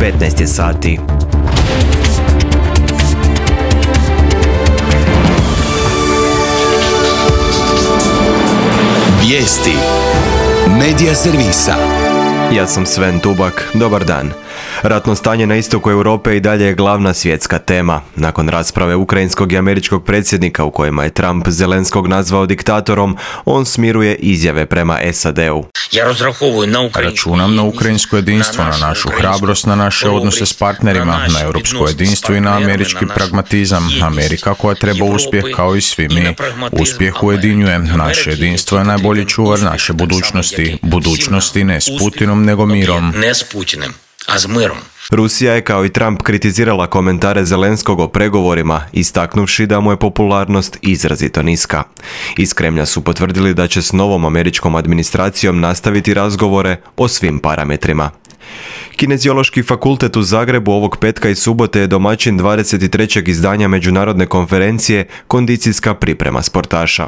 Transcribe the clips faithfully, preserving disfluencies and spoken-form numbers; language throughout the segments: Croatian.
petnaest je sati. Vijesti Medija servisa. Ja sam Sven Tubak, dobar dan. Ratno stanje na istoku Europe i dalje je glavna svjetska tema. Nakon rasprave ukrajinskog i američkog predsjednika u kojima je Trump Zelenskog nazvao diktatorom, on smiruje izjave prema S A D-u. Računam na ukrajinsko jedinstvo, na našu hrabrost, na naše odnose s partnerima, na europsko jedinstvo i na američki pragmatizam. Amerika koja treba uspjeh kao i svi mi. Uspjeh ujedinjuje. Naše jedinstvo je najbolji čuvar naše budućnosti. Budućnosti ne s Putinom, nego mirom. a s mirom. Rusija je kao i Trump kritizirala komentare Zelenskog o pregovorima, istaknuvši da mu je popularnost izrazito niska. Iz Kremlja su potvrdili da će s novom američkom administracijom nastaviti razgovore o svim parametrima. Kineziološki fakultet u Zagrebu ovog petka i subote je domaćin dvadeset trećeg izdanja međunarodne konferencije Kondicijska priprema sportaša.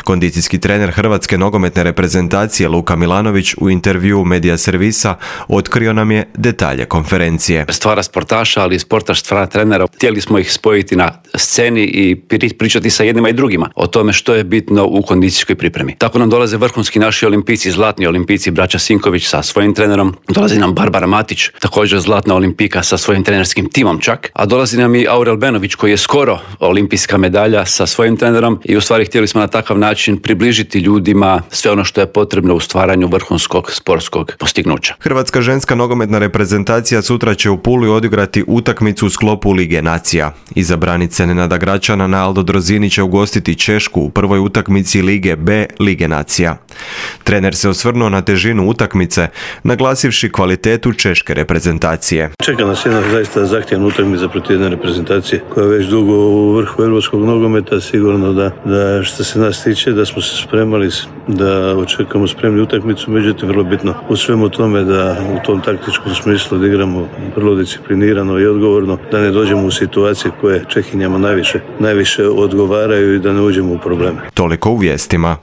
Kondicijski trener hrvatske nogometne reprezentacije Luka Milanović u intervjuu Medija servisa otkrio nam je detalje konferencije. Stvara sportaša, ali sportaš stvara trenera. Htjeli smo ih spojiti na sceni i pričati sa jednima i drugima o tome što je bitno u kondicijskoj pripremi. Tako nam dolaze vrhunski naši olimpijci, zlatni olimpijci, braća Sinković sa svojim trenerom. Dolazi nam Barbara Matić, također zlatna olimpijka sa svojim trenerskim timom čak. A dolazi nam i Aurel Benović koji je skoro olimpijska medalja sa svojim trenerom i u stvari htjeli smo na takav način približiti ljudima sve ono što je potrebno u stvaranju vrhunskog sportskog postignuća. Hrvatska ženska nogometna reprezentacija sutra će u Puli odigrati utakmicu u sklopu Lige nacija. Izabranica Nenada Gračana na Aldo Drozini će ugostiti Češku u prvoj utakmici Lige B Lige nacija. Trener se osvrnuo na težinu utakmice, naglasivši kvalitetu češke reprezentacije. Čeka nas jedna zaista zahtjevna utakmica protiv jedne reprezentacije koja je već dugo u vrhu europskog nogometa. Sigurno da, da što se nas tiče da smo se spremali da očekamo spremni utakmicu, međutim vrlo bitno u svemu tome da u tom taktičkom smislu da igramo vrlo disciplinirano i odgovorno, da ne dođemo u situacije koje Čehinjama najviše, najviše odgovaraju i da ne uđemo u probleme. Toliko u vijestima.